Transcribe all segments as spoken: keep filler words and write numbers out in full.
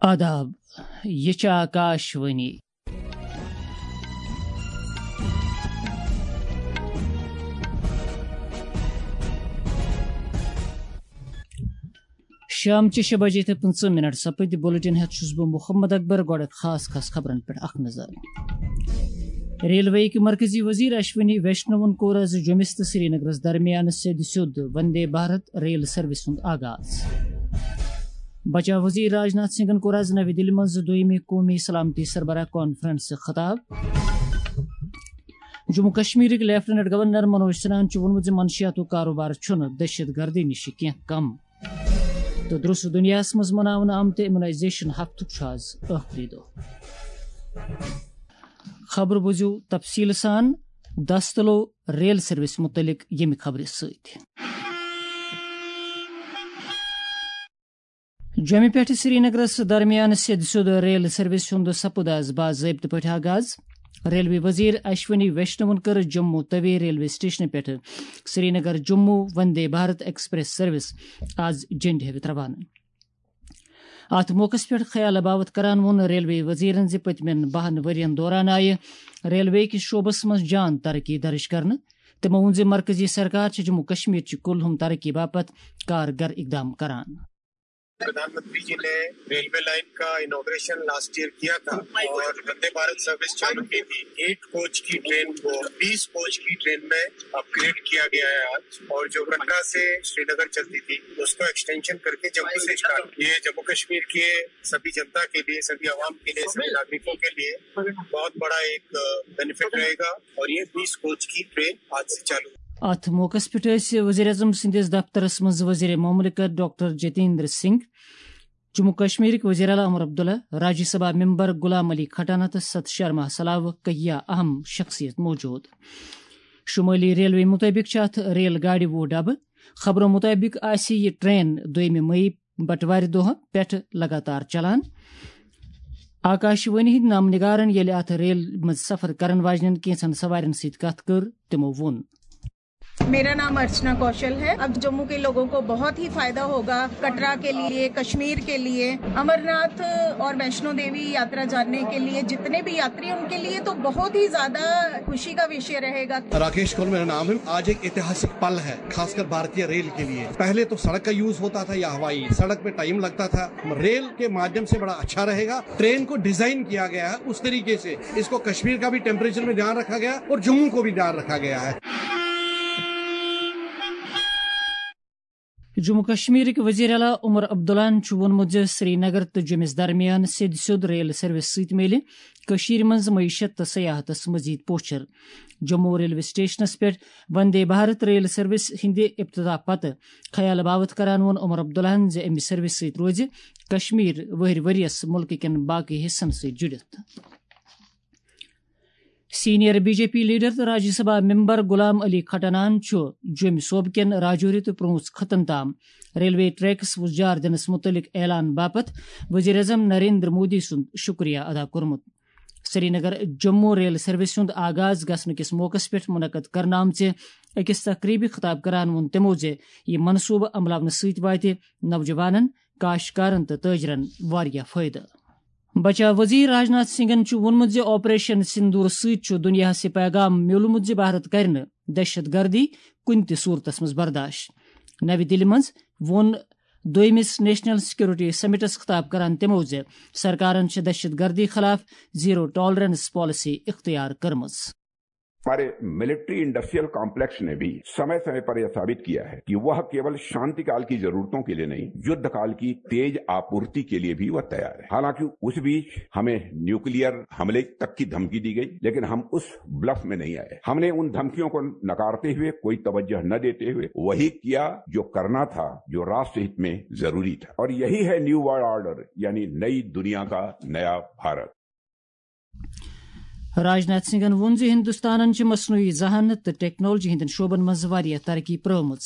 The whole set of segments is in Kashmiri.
آداب، یہِ چھِ آکاش وانی۔ شام چہِ شےٚ بجے تہٕ پٕنٛژٕہ منٹ سپٕدۍ۔ بُلٹن ہٮ۪تھ چھُس بہٕ محمد اکبر۔ گۄڈٕ خاص خاص خبرن پٮ۪ٹھ اکھ نظر۔ ریلوے کہِ مرکزی وزیر اشونی ویشنوَن کوٚر از جوٚمِس تہٕ سرینگرس درمیان سیٚدِ سیوٚد وندے بھارت ریل سروس ہُنٛد آغاز۔ بچاو وزیر راج ناتھ سنگھن کوٚر از نوِ دِلہِ منٛز دوٚیمہِ قومی سلامتی سربراہ کانفرنسہِ خطاب۔ جموں کشمیرٕکۍ لیفٹیننٹ گورنر منوج سنہاہن چھُ ووٚنمُت زِ منشیاتُک کاروبار چھُنہٕ دہشت گردی نِش کینٛہہ کم۔ تہٕ درٛوس دُنیاہَس منٛز مناونہٕ آمتہِ امیونائزیشن ہفتُک چھُ آز ٲخری دۄہ۔ خبرٕ بوٗزِو تفصیٖل سان دستلو ریل سروس مُتعلِق ییٚمہِ خبرِ سۭتۍ۔ جوٚمہِ پٮ۪ٹھٕ سرینگرس درمیان سیٚدِ سیوٚد ریل سروس ہُنٛد سپُد آز باضٲبطہٕ پٲٹھۍ آغاز۔ ریلوے وزیر اشونی ویشنوَن کٔر جموں توی ریلوے سٹیشنہٕ پٮ۪ٹھٕ سرینگر جموں وندے بھارت ایکسپریس سروس آز جھنڈِ ہٲوِتھ روانہٕ۔ اتھ موقعس پٮ۪ٹھ خیال باوت کران ووٚن ریلوے وزیرن زِ پٔتمٮ۪ن بَہَن ؤرین دوران آیہِ ریلوے کِس شعبس منٛز جان ترقی درج کرنہٕ۔ تِمو ووٚن زِ مرکزی سرکار چھِ جموں کشمیر چہِ کُلہُم ترقی باپتھ کارگر اقدام کران۔ प्रधानमंत्री जी ने रेलवे लाइन का इनॉग्रेशन लास्ट ईयर किया था और वंदे भारत सर्विस चालू की थी। एट कोच की ट्रेन को बीस कोच की ट्रेन में अपग्रेड किया गया है आज। और जो कटरा से श्रीनगर चलती थी, उसको एक्सटेंशन करके जम्मू से स्टार्ट। ये जम्मू कश्मीर के सभी जनता के लिए, सभी आवाम के लिए, सभी नागरिकों के लिए बहुत बड़ा एक बेनिफिट रहेगा। और ये बीस कोच की ट्रेन आज से चालू। اتھ موقعس پٮ۪ٹھ ٲسۍ وزیر اعظم سٕنٛدِس دفترس منٛز وزیر مملکت ڈاکٹر جتیندر سنگھ، جموں کشمیرٕکۍ وزیر اعلیٰ عمر عبداللہ، راجیہ سبھا ممبر غلام علی کھٹانہ تہٕ ستھ شرما سلاوٕ کہیا اہم شخصیت موجود۔ شمٲلی ریلوے مطٲبق چھِ اتھ ریل گاڑِ وُہ ڈبہٕ۔ خبرو مطٲبق آسہِ یہِ ٹرین دوٚیمہِ مئی بٹوارِ دۄہ پٮ۪ٹھ لگاتار چلان۔ آکاش وانی ہٕنٛدۍ نامہٕ نگارن ییٚلہِ اتھ ریل منٛز سفر کرن واجنٮ۪ن کینٛژن سوارٮ۪ن سۭتۍ کتھ کٔر، تِمو ووٚن۔ मेरा नाम अर्चना कौशल है। अब जम्मू के लोगों को बहुत ही फायदा होगा, कटरा के लिए, कश्मीर के लिए। अमरनाथ और वैष्णो देवी यात्रा जाने के लिए जितने भी यात्री, उनके लिए तो बहुत ही ज्यादा खुशी का विषय रहेगा। राकेश कौल मेरा नाम है। आज एक ऐतिहासिक पल है, खासकर भारतीय रेल के लिए। पहले तो सड़क का यूज़ होता था या हवाई, सड़क पे टाइम लगता था। रेल के माध्यम से बड़ा अच्छा रहेगा। ट्रेन को डिजाइन किया गया है उस तरीके से, इसको कश्मीर का भी टेम्परेचर में ध्यान रखा गया और जम्मू को भी ध्यान रखा गया है। جموں کشمیرٕکۍ وزیر اعلیٰ عمر عبداللہن چھُ ووٚنمُت زِ سرینگر تہٕ جوٚمِس درمیان سیٚدِ سیوٚد ریل سروس سۭتۍ میلہِ کٔشیٖرِ منٛز معیشت تہٕ سیاحتس مزید پوچھر۔ جموں ریلوے سٹیشنس پٮ۪ٹھ وندے بھارت ریل سروس ہٕنٛدِ افتتاح پتہٕ خیال باوت کران ووٚن عمر عبداللہن زِ امہِ سروس سۭتۍ روزِ کشمیر وٕہٕرۍ ؤرۍ یَس مُلکہٕ کٮ۪ن باقٕے حصن سۭتۍ جُڑِتھ۔ Senior B J P leader تہٕ راجیہ سبھا ممبر غلام علی کھٹانان چھُ جوٚمہِ صوبہٕ کٮ۪ن راجوری تہٕ پرٛوٗنٛژ خطن تام ریلوے ٹریکس وُزجار دِنس مُتعلق اعلان باپتھ وزیر اعظم نریندر مودی سُنٛد شُکریہ ادا کوٚرمُت۔ سرینگر جموں ریل سروس ہُنٛد آغاز گژھنہٕ کِس موقعس پٮ۪ٹھ منعقد کرنہٕ آمژِ أکِس تقریبہِ خطاب کران ووٚن تِمو زِ یہِ منصوٗبہٕ عملاونہٕ سۭتۍ واتہِ نوجوانن، کاشتکارن تہٕ تٲجرن واریاہ فٲیدٕ۔ بچاو وزیر راجناتھ سنگھن چھُ ووٚنمُت زِ آپریشن سندور سۭتۍ چھُ دُنیاہَس یہِ پیغام میوٗلمُت زِ بھارت کرِ نہٕ دہشت گردی کُنہِ تہِ صورتس منٛز برداشت۔ نوِ دِلہِ منٛز ووٚن دوٚیمِس نیشنل سیکورٹی سمٹس خطاب کران تِمو زِ سرکارن چھِ دہشت گردی خلاف زیرو ٹالرنس پالیسی اختیار کٔرمٕژ۔ हमारे मिलिट्री इंडस्ट्रियल कॉम्प्लेक्स ने भी समय समय पर यह साबित किया है कि वह केवल शांतिकाल की जरूरतों के लिए नहीं, युद्धकाल की तेज आपूर्ति के लिए भी वह तैयार है। हालांकि उस बीच हमें न्यूक्लियर हमले तक की धमकी दी गई, लेकिन हम उस ब्लफ में नहीं आए। हमने उन धमकियों को नकारते हुए, कोई तवज्जो न देते हुए वही किया जो करना था, जो राष्ट्रहित में जरूरी था। और यही है न्यू वर्ल्ड ऑर्डर, यानी नई दुनिया का नया भारत। راجناتھ سنگھن ووٚن زِ ہندوستانن چھِ مصنوعی ذہانت تہٕ ٹیکنالوجی ہٕنٛدٮ۪ن شعبن منٛز واریاہ ترقی پرٲومٕژ۔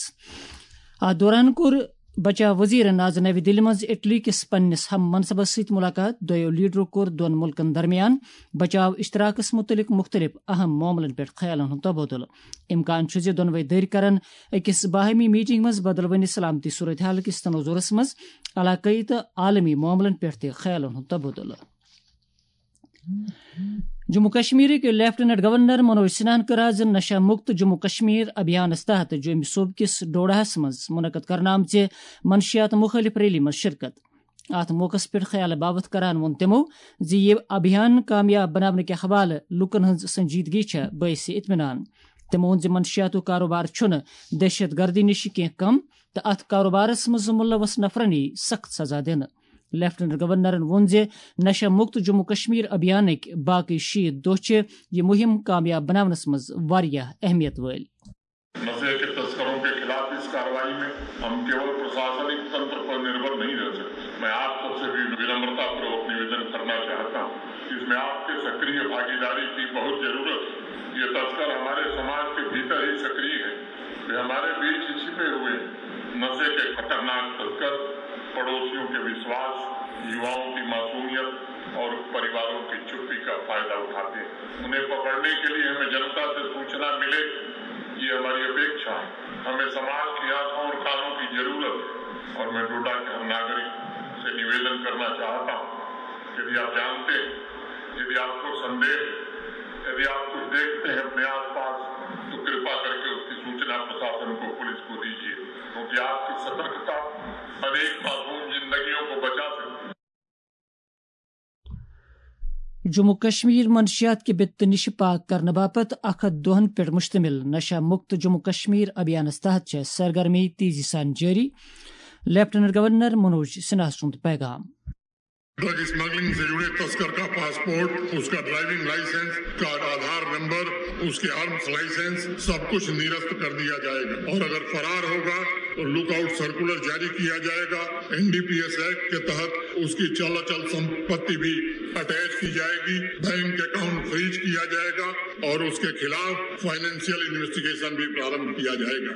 اتھ دوران کوٚر بچاو وزیرن آز نوِ دِلہِ منٛز اٹلی کِس پننِس ہم منصبس سۭتۍ ملاقات۔ دۄیو لیڈرو کوٚر دۄن مُلکن درمیان بچاو اشتراکس مُتعلق مُختٔلِف اہم معاملن پٮ۪ٹھ خیالن ہُنٛد تبادلہٕ۔ امکان چھُ زِ دۄنوَے دٔرۍ کرن أکِس باہمی میٹنگ منٛز بدلوٕنہِ سلامتی صورتحال کِس تناظرس منٛز علاقٲیی تہٕ عالمی معاملن پٮ۪ٹھ تہِ خیالن ہُنٛد تبادلہٕ۔ جموں کشمیرٕکۍ لیفٹیننٹ گورنر منوج سنہاہن کٔر آز نشہ مکت جموں کشمیر ابھیانس تحت جوٚمہِ صوبہٕ کِس ڈوڈاہس منٛز منعقد کرنہٕ آمژِ منشیات مخٲلف ریلی منٛز شرکت۔ اتھ موقعس پٮ۪ٹھ خیال باوتھ کران ووٚن تِمو زِ یہِ ابھیان کامیاب بناونہٕ کہِ حوالہٕ لوٗکن ہٕنٛز سنجیدگی چھےٚ باعث اطمینان۔ تِمو ووٚن زِ منشیاتُک کاروبار چھُنہٕ دہشت گردی نِش کینٛہہ کم تہٕ اتھ کاروبارس منٛز ملوث نفرن یِیہِ سخت سزا دِنہٕ۔ لیفٹیننٹ گورنرن ووٚن زِ نشہ مکت جموں کشمیر ابھیانٕکۍ باقی شیٖتھ دۄہ چھِ یہِ مُہِم کامیاب بناونس منٛز واریاہ اہمیت وٲلۍ۔ نشے کے تسکروں کے خلاف اس कार्रवाई में हम केवल प्रशासनिक तंत्र पर निर्भर नहीं रह सकते। मैं आप सबसे भी विनम्रतापूर्वक निवेदन करना चाहता हूँ, इसमें आपके सक्रिय भागीदारी की बहुत जरूरत है। ये तस्कर हमारे समाज के भीतर ही सक्रिय हैं, वे हमारे बीच ही छिपे हुए हैं। नशे के खतरनाक तस्कर पड़ोसियों के विश्वास, युवाओं की मासूमियत और परिवारों की चुप्पी का फायदा उठाते हैं। उन्हें पकड़ने के लिए हमें जनता से सूचना मिले, ये हमारी अपेक्षा है। हमें समाज की आंखों और कानों की जरूरत है और मैं डोडा के हर नागरिक से निवेदन करना चाहता हूँ, यदि आप जानते हैं, यदि आपको संदेह है, यदि आप कुछ देखते हैं अपने आसपास, तो कृपा करके उसकी सूचना प्रशासन को, पुलिस को दीजिए, क्योंकि आपकी सतर्कता अनेक मासूम जिंदगियों को बचा सकती है। جموں کشمیر منشیات کہِ بِتہٕ نِش پاک کرنہٕ باپتھ اکھ ہتھ دۄہن پٮ۪ٹھ مشتمل نشہ مکت جموں کشمیر ابھیانس تحت چھےٚ سرگرمی تیزی سان جٲری۔ لیفٹیننٹ گورنر منوج سنہا سُنٛد پیغام۔ ड्रग स्मगलिंग से जुड़े तस्कर का पासपोर्ट, उसका ड्राइविंग लाइसेंस, उसका आधार नंबर, उसके आर्म्स लाइसेंस, सब कुछ निरस्त कर दिया जाएगा और अगर फरार होगा तो लुकआउट सर्कुलर जारी किया जाएगा। एनडीपीएस एक्ट के तहत उसकी चल अचल संपत्ति भी अटैच की जाएगी, बैंक अकाउंट फ्रीज किया जाएगा और उसके खिलाफ फाइनेंशियल इन्वेस्टिगेशन भी प्रारंभ किया जाएगा।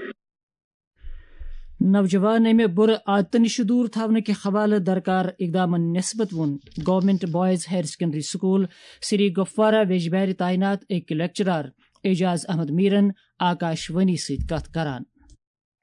نوجوان امہِ بُرٕ عادتہٕ نِش دوٗر تھاونہٕ کہِ حوالہٕ درکار اقدامن نسبت ووٚن government boys higher secondary school Sri Gufwara ویجبیارِ تعینات أکۍ لیکچرار اعجاز احمد میرن آکاش وانی سۭتۍ کتھ کران۔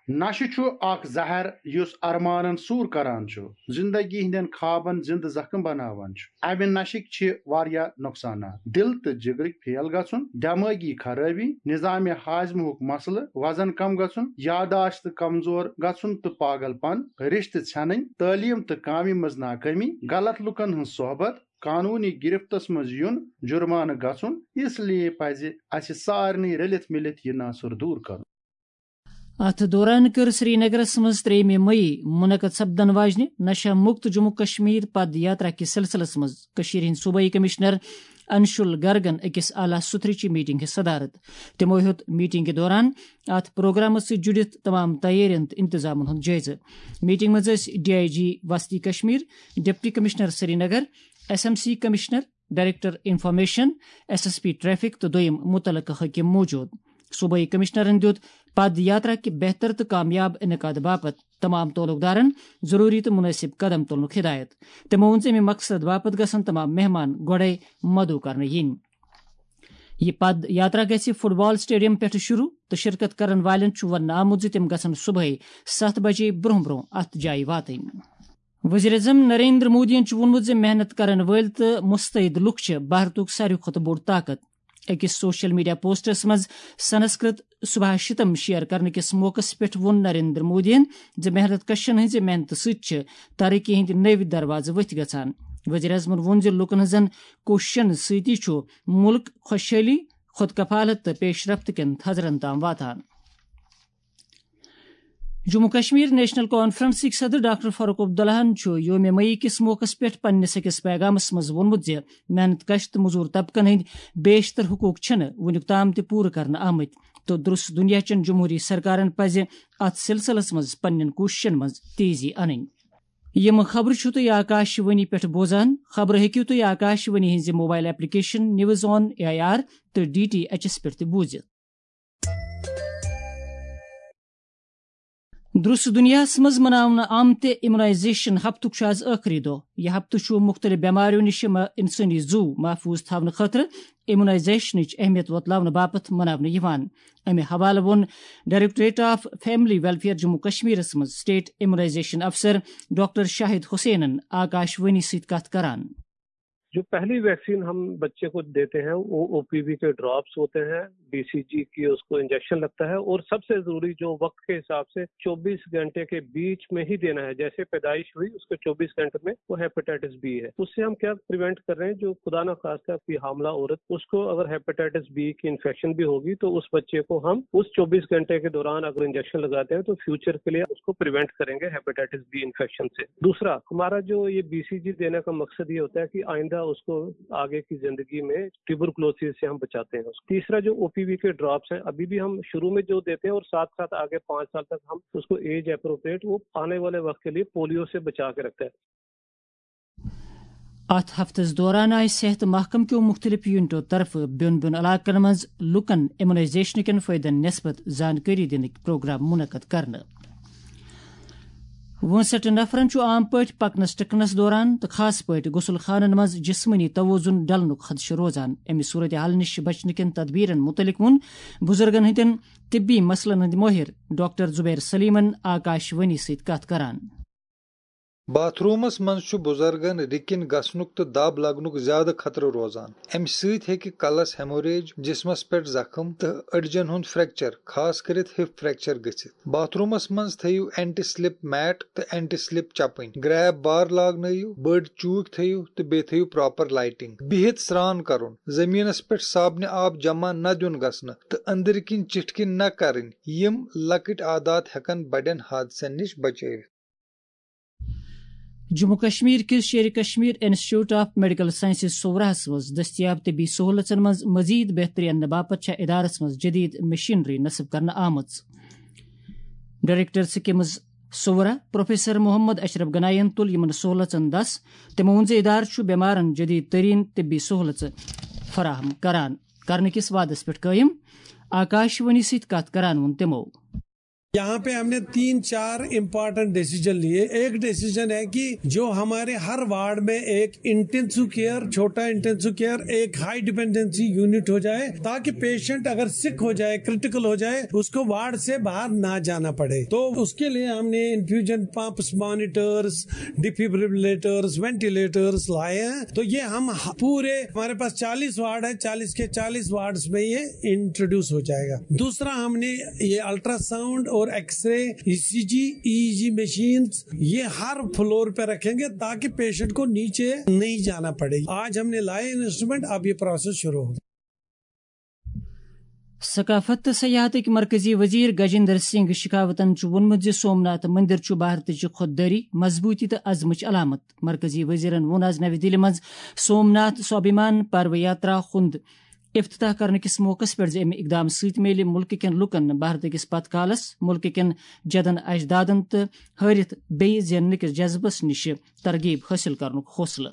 نشہٕ چھُ اکھ زہر یُس ارمانن سوٗر کران چھُ، زندگی ہٕنٛدٮ۪ن خوابن زندٕ زخم بناوان چھُ۔ امہِ نشٕکۍ چھِ واریاہ نۄقصانات: دِل تہٕ جگرٕکۍ فیل گژھُن، دمٲغی خرٲبی، نظام ہاضمہُک مسلہٕ، وزن کم گژھُن، یاداشت کمزور گژھُن تہٕ پاگل پن، رشتہٕ ژھٮ۪نٕنۍ، تعلیم تہٕ کامہِ منٛز ناکٲمی، غلط لوٗکن ہٕنٛز صحبت، قانونی گرفتس منٛز یُن، جرمانہٕ گژھُن۔ اس لیے پزِ اسہِ سارنٕے رٔلِتھ مِلِتھ یہِ ناسُر دوٗر کرُن۔ اتھ دوران کٔر سرینگرس منٛز ترٛیٚیِمہِ مئی منعقد سپدن واجنہِ نشہ مکت جموں کشمیر پد یاترا کِس سلسلس منٛز کٔشیٖرِ ہٕنٛدۍ صوبٲئی کمشنر انشول گرگن أکِس اعلیٰ سُتھرٕچہِ میٹنگ ہٕنٛز صدارت۔ تِمو ہیوٚت میٹنگ کہِ دوران اتھ پروگرامس سۭتۍ جُڑِتھ تمام تیٲرین تہٕ انتظامن ہُنٛد جٲیزٕ۔ میٹنگ منٛز ٲسۍ ڈی آئی جی وسطی Kashmir, deputy commissioner Srinagar, S M C commissioner, director information, S S P traffic تہٕ دوٚیم متعلقہٕ حٲکم موجود۔ صوبٲئی کمشنرن دیُت پد یاترا کہِ بہتر تہٕ کامیاب انعقاد باپتھ تمام تعلق دارن ضروری تہٕ مناسب قدم تُلنُک ہدایت۔ تِمو ووٚن زِ امہِ مقصد باپتھ گژھن تمام مہمان گۄڈے مدعو کرنہٕ یِنۍ۔ یہِ پد یاترا گژھِ فٹ بال اسٹیڈیم پٮ۪ٹھٕ شروع تہٕ شرکت کرن والٮ۪ن چھُ وننہٕ آمُت زِ تِم گژھن صبحٲے ستھ بجے برونٛہہ برونٛہہ اتھ جایہِ واتٕنۍ۔ وزیر اعظم نریندر مودیَن چھُ ووٚنمُت زِ محنت کرن وٲلۍ تہٕ مستعد لوٗکھ چھِ بھارتُک ساروی کھۄتہٕ بوٚڑ طاقت۔ أکِس سوشل میڈیا پوسٹس منٛز سنسکرت سبھاشتم شیئر کرنہٕ کِس موقعس پٮ۪ٹھ ووٚن نریندر مودیَن زِ محنت کشن ہٕنٛزِ محنتہٕ سۭتۍ چھِ ترقی ہٕنٛدۍ نٔوۍ دروازٕ ؤتھۍ گژھان۔ وزیر اعظمَن ووٚن زِ لوٗکن ہٕنٛزن کوٗششن سۭتی چھُ مُلک خۄشحٲلی، خود کفالت تہٕ پیش رفت کٮ۪ن تھزرن تام واتان۔ جموں کشمیر نیشنل کانفرنسٕکۍ صدر ڈاکٹر فاروق عبداللہَن چھُ یوم مئی کِس موقعس پٮ۪ٹھ پننِس أکِس پیغامس منٛز ووٚنمُت زِ محنت کش تہٕ مزور طبقن ہٕنٛدۍ بیشتر حقوق چھِنہٕ وُنیُک تام تہِ پوٗرٕ کرنہٕ آمٕتۍ تہٕ درست دُنیا چٮ۪ن جمہوٗری سرکارن پزِ اتھ سلسلس منٛز پننٮ۪ن کوٗششن منٛز تیزی انٕنۍ۔ یِم خبرٕ چھِو تُہۍ آکاش وانی پٮ۪ٹھ بوزان۔ خبرٕ ہیٚکِو تُہۍ آکاش وانی ہٕنٛزِ mobile application news on A I R تہٕ ڈی ٹی ایچ ایس پٮ۪ٹھ تہِ بوٗزِتھ۔ درست دنیاہس منٛز مناونہٕ آمتہِ امیونائزیشن ہفتُک چھُ آز ٲخری دۄہ۔ یہِ ہفتہٕ چھُ مُختٔلِف بٮ۪مارٮ۪و نِش مہ-، انسٲنی زُو محفوٗظ تھاونہٕ خٲطرٕ امیونائزیشنٕچ اہمیت وۄتلاونہٕ باپتھ مناونہٕ یِوان۔ امہِ حوالہٕ ووٚن directorate of family welfare Jammu کشمیرس منٛز اسٹیٹ امیونائزیشن افسر ڈاکٹر شاہد حسینن آکاش وانی سۭتۍ کتھ کران۔ جو پہلی ویکسین ہم بچے کو دیتے ہیں، وہ او پی وی کے ڈراپس ہوتے ہیں، بی سی جی کی اس کو انجیکشن لگتا ہے، اور سب سے ضروری جو وقت کے حساب سے چوبیس گھنٹے کے بیچ میں ہی دینا ہے، جیسے پیدائش ہوئی اس کے چوبیس گھنٹے میں وہ ہیپیٹائٹس بی ہے، اس سے ہم کیا پریونٹ کر رہے ہیں، جو خدا نہ خواستہ کوئی حاملہ عورت، اس کو اگر ہیپیٹائٹس بی کی انفیکشن بھی ہوگی تو اس بچے کو ہم اس چوبیس گھنٹے کے دوران اگر انجیکشن لگاتے ہیں تو فیوچر کے لیے اس کو پریونٹ کریں گے ہیپیٹائٹس بی انفیکشن سے۔ دوسرا، ہمارا جو یہ بی سی جی دینے کا مقصد یہ ہوتا ہے کہ آئندہ اس کو آگے کی زندگی میں ٹیوبرکلوسس سے ہم بچاتے ہیں۔ تیسرا، جو او پی وی کے ڈراپس ہیں، ابھی بھی ہم شروع میں جو دیتے ہیں اور ساتھ ساتھ آگے پانچ سال تک ہم اس کو ایج اپروپریٹ، وہ آنے والے وقت کے لیے پولیو سے بچا کے رکھتے ہیں۔ اتھ ہفتس دوران آیہِ صحت محکمہٕ کیو مُختٔلِف یونٹو طرفہٕ بیوٚن بیوٚن علاقن منٛز لوٗکن امیونائزیشن کٮ۪ن فٲیدن نسبت زانکٲری دِنٕکۍ پروگرام منعقد کرنہٕ۔ وُنسٹھ نفرن چھُ عام پٲٹھۍ پکنس ٹکنس دوران تہٕ خاص پٲٹھۍ غسل خانن منٛز جسمٲنی توازن ڈلنُک خدشہٕ روزان۔ امہِ صورتحال نِش بچنہٕ کٮ۪ن تدبیرن مُتعلق ووٚن بُزرگن ہٕنٛدٮ۪ن طبی مسلن ہٕنٛدۍ مٲہِر ڈاکٹر زبیر سلیمن آکاش وانی سۭتۍ کتھ کران۔ باتھ رومس منٛز چھُ بُزرگن رِکِن گژھنُک تہٕ دب لگنُک زیادٕ خطرٕ روزان۔ امہِ سۭتۍ ہیٚکہِ کلس ہیموریج، جسمس پٮ۪ٹھ زخم تہٕ أڈجن ہُنٛد فریکچر، خاص کٔرِتھ ہِپ فریکچر گٔژھِتھ۔ باتھ رومس منٛز تھٲیِو اینٹی سلپ میٹ تہٕ اینٹی سلپ چپٕنۍ۔ گریب بار لاگنٲیِو، بٔڑ چوٗکۍ تھٲیِو تہٕ بیٚیہِ تھٲیِو پراپر لائٹنگ۔ بِہِتھ سرٛان کرُن، زٔمیٖنس پٮ۪ٹھ صابنہِ آب جمع نہ دیُن گژھنہٕ تہٕ أنٛدٕرۍ کِنۍ چِٹھۍ کِنۍ نہ کرٕنۍ۔ یِم لۄکٕٹۍ عادات ہٮ۪کن بڑٮ۪ن حادثن نِش بچٲوِتھ۔ جموں کشمیر کِس Sher Kashmir institute of medical sciences سوراہس منٛز دٔستیاب طبی سہولژن منٛز مزید بہتری اننہٕ باپتھ چھےٚ ادارس منٛز جدید مشینری نصب کرنہٕ آمٕژ۔ ڈائریکٹر سکمز سورا پروفیسر محمد اشرف گناین تُل یِمن سہولژن دس۔ تِمو ووٚن زِ ادارٕ چھُ بٮ۪مارن جدید ترین طبی سہولژٕ فراہم کران کرنہٕ کِس وعدس پٮ۪ٹھ قٲیِم۔ آکاش وانی سۭتۍ کتھ کران ووٚن تِمو۔ यहाँ पे हमने तीन चार इंपॉर्टेंट डिसीजन लिए। एक डिसीजन है कि जो हमारे हर वार्ड में एक इंटेंसिव केयर, छोटा इंटेंसिव केयर, एक हाई डिपेंडेंसी यूनिट हो जाए, ताकि पेशेंट अगर सिक हो जाए, क्रिटिकल हो जाए, उसको वार्ड से बाहर ना जाना पड़े। तो उसके लिए हमने infusion pumps, monitors, defibrillators, ventilators लाए हैं। तो ये हम ह-, पूरे, हमारे पास चालीस वार्ड है, चालीस के चालीस वार्ड्स में ये इंट्रोड्यूस हो जाएगा। दूसरा, हमने ये अल्ट्रासाउंड और एक्सरे, ईसीजी, ईईजी मशीन्स, ये हर फ्लोर पे रखेंगे, ताकि पेशेंट को नीचे नहीं जाना पड़े। आज हमने लाए इंस्ट्रूमेंट, अब ये प्रोसेस शुरू होगा। ثقافت تہٕ سیاحتٕکۍ مرکزی وزیر گجیندر سنگھ شیخاوتن چھُ ووٚنمُت زِ سومناتھ مندر چھُ بھارتٕچ خۄددٲری، مضبوٗطی تہٕ عزمٕچ علامت۔ مرکزی وزیرن ووٚن آز نَوِ دِلہِ منٛز سومناتھ سوابھیمان پرو یاترا ہُنٛد افتتاح کرنہٕ کِس موقعس پٮ۪ٹھ زِ اَمہِ اقدام سۭتۍ میلہِ مُلکہٕ کٮ۪ن لوٗکن بھارتہٕ کِس پتھ کالس، مُلکہٕ کٮ۪ن جدن اجدادن تہٕ ہٲرِتھ بیٚیہِ زیننہٕ کِس جذبس نِش ترغیب حٲصِل کرنُک حوصلہٕ۔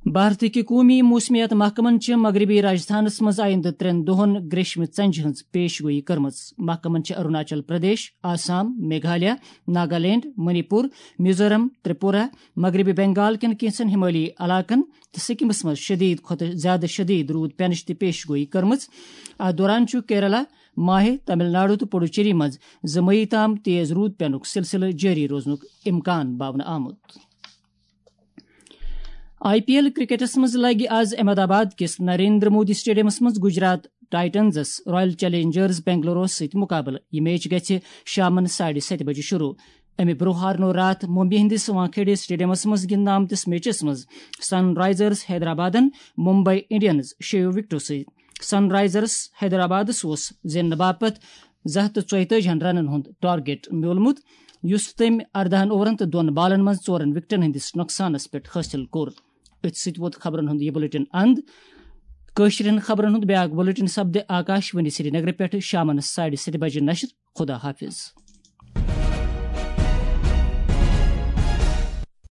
بھارتٕکۍ قومی موسمیات محکمن چھِ مغربی راجستھانس منٛز آیندٕ ترٛٮ۪ن دۄہن گریشمہِ ژنجہِ ہٕنٛز پیش گویی کٔرمٕژ۔ محکمن چھِ اروناچل پردیش، آسام، میگھالیہ، ناگالینڈ، منی پور، میزورم، ترپورہ، مغربی بنگال کٮ۪ن کینٛژن ہمٲلی علاقن تہٕ سکمس منٛز شدید کھۄتہٕ زیادٕ شدید روٗد پینٕچ تہِ پیش گویی کٔرمٕژ۔ اتھ دوران چھُ کیرالہ، ماہے، تمل ناڈو تہٕ پڈوچیری منٛز زٕ مئی تام تیز روٗد پینُک سلسلہٕ جٲری روزنُک امکان باونہٕ آمُت۔ آئی پی ایل کرکٹس منٛز لگہِ آز احمد آباد کِس نریندر مودی اسٹیڈیمس منٛز گجرات ٹائٹنزس رائل چیلنجرز بنگلوروس سۭتۍ مقابلہٕ۔ یہِ میچ گژھِ شامن ساڑِ ستہِ بجہِ شروع۔ امہِ برٛونٛہہ ہارنوو راتھ ممبئی ہٕنٛدِس وانکھیڑے اسٹیڈیمس منٛز گِنٛدنہٕ آمتِس میچس منٛز سن رائزرز حیدرآبادن ممبئی انڈینز شیٚیو وکٹو سۭتۍ۔ سن رائزرز حیدرآبادس اوس زیننہٕ باپتھ زٕ ہتھ تہٕ ژۄیتٲجی ہن رنن ہُنٛد ٹارگیٹ میوٗلمُت، یُس تٔمۍ ارداہن اوورن تہٕ دۄن بالن منٛز ژورن وکٹن ہٕنٛدِس نۄقصانس پٮ۪ٹھ حٲصِل کوٚر۔ أتھۍ سۭتۍ ووت خبرن ہُنٛد یہِ بلیٹن اند۔ کٲشرٮ۪ن خبرن ہُنٛد بیاکھ بلیٹن سپدِ آکاش وانی سرینگرٕ پٮ۪ٹھ شامن ساڑِ ستہِ بجہِ نشر۔ خدا حافظ۔